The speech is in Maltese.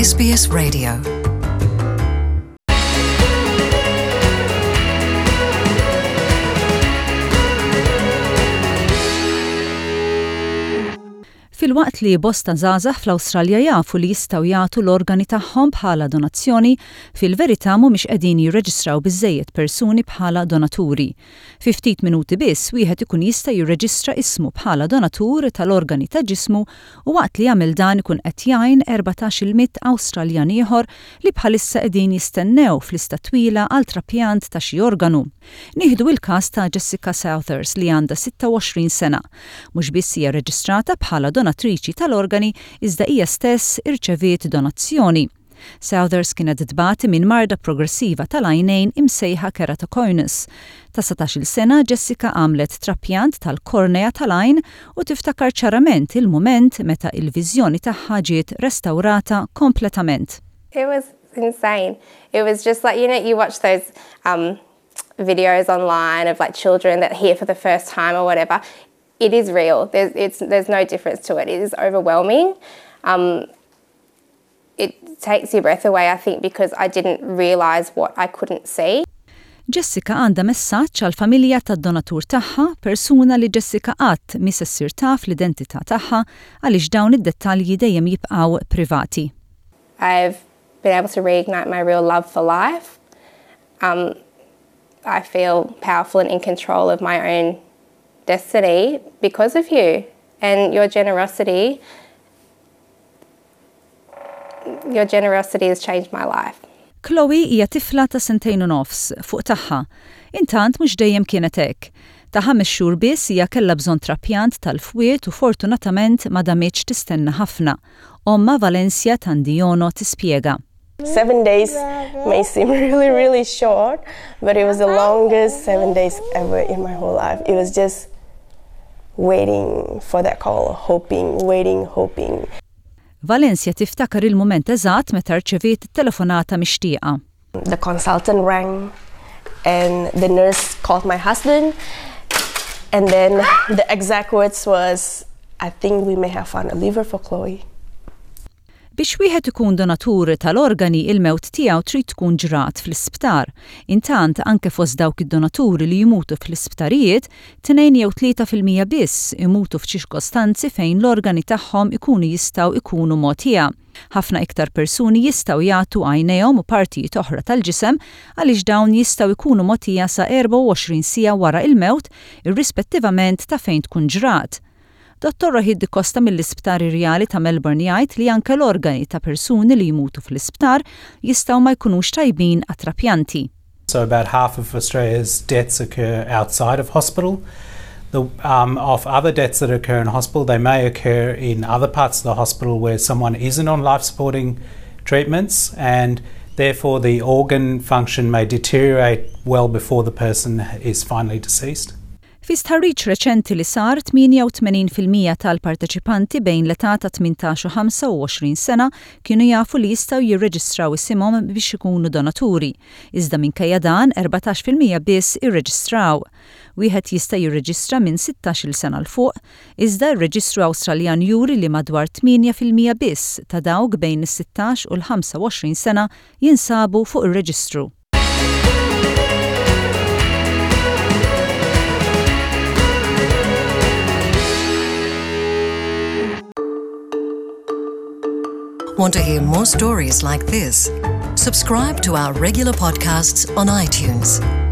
SBS Radio. Filwaqt li bosta żgħażagħ fl-Awstralja jafu li jistgħu jagħtu l-organi tagħhom bħala donazzjoni, fil-verità mhumiex qegħdin jirreġistraw biżżejjed persuni bħala donaturi. Fi ftit minuti biss wieħed ikun jista' jirreġistra ismu bħala donatur tal-organi ta' ġismu u waqt li jagħmel dan ikun qed jgħin 14-il mitt Awstraljan ieħor li bħalissa qegħdin jistennew f'lista twila għal trapjant ta' xi organu. Nieħdu il-każ ta' Jessica Southers li għandha 26 sena. Mhux biss hija rreġistrata bħala donatriċi tal-organi iżda hija stess irċeviet donazzjoni. Southers kienet tbati minn marda progressiva tal-għajnejn imsejħa keratoconus. Ta' 17-il sena Jessica għamlet trapjant tal-kornea tal-għajn u tiftakar ċarament il-mument meta il-viżjoni tagħha ġiet restawrata kompletament. It was insane. It was just like, you know, you watch those um, videos online of like children that hear for the first time or whatever. It is real. There's, it's, there's no difference to it. It is overwhelming. Um, it takes your breath away, I think, because I didn't realise what I couldn't see. Jessica għandha messaġġ għall-familja tad-donatur tagħha, persuna li Jessica qatt mhi se ssir taf l-identità tagħha għaliex dawn id-dettalji dejjem jibqgħu privati. I've been able to reignite my real love for life. Um, I feel powerful and in control of my own destiny because of you and your generosity. Your generosity has changed my life. Chloe hija tifla ta' sentejn u nofs, fuq tagħha. Intant mhux dejjem kienet hekk. Ta' ħames xhur biss hija kellha bżonn trapjant tal-fwied u fortunatament ma damitx tistenna ħafna. Ommha Valencia Tandiono tispjega. Seven days may seem really, really short, but it was the longest seven days ever in my whole life. It was just waiting for that call, hoping, waiting, hoping. Valencia tiftakar il-mument eżatt meta rċeviet it-telefonata mixtieqa. The consultant rang and the nurse called my husband and then the exact words was I think we may have found a liver for Chloe. Biex wieħed ikun donatur tal-organi il-mewt tiegħu trid tkun ġrat fl-isptar. Intant anke fost dawk id-donaturi li jmutu fl-isptarijiet, 2 jew 3% biss imutu f'ċirkostanzi fejn l-organi tagħhom ikunu jistgħu ikunu mogħtija. Ħafna iktar persuni jistgħu jagħtu għajnejhom u partijiet oħra tal-ġisem għaliex dawn jistgħu jkunu mogħtija sa 24 siegħa wara il-mewt irrispettivament ta' fejn tkun ġrat. Dottor Rohit D'Costa mill-Isptar Irjali ta' Melbourne jgħid li anke l-organi ta' persuni li jmutu fl-isptar jistgħu ma jkunux tajbin għat-trapjanti. So about half of Australia's deaths occur outside of hospital. The, um, of other deaths that occur in hospital, they may occur in other parts of the hospital where someone isn't on life supporting treatments, and therefore the organ function may deteriorate well before the person is finally deceased. Fi stħarriġ reċenti li sar, 88% tal-parteċipanti bejn l-età ta' 18 u 25 sena kienu jafu li jistgħu jirreġistraw isimhom biex ikunu donaturi. Iżda minkejja dan, 14% biss irreġistraw. Wieħed jista' jirreġistra minn 16-il sena 'l fuq, iżda r-reġistru Awstraljan juri li madwar 8% biss ta' dawk bejn is-16 u l-25 sena jinsabu fuq ir-reġistru. Want to hear more stories like this? Subscribe to our regular podcasts on iTunes.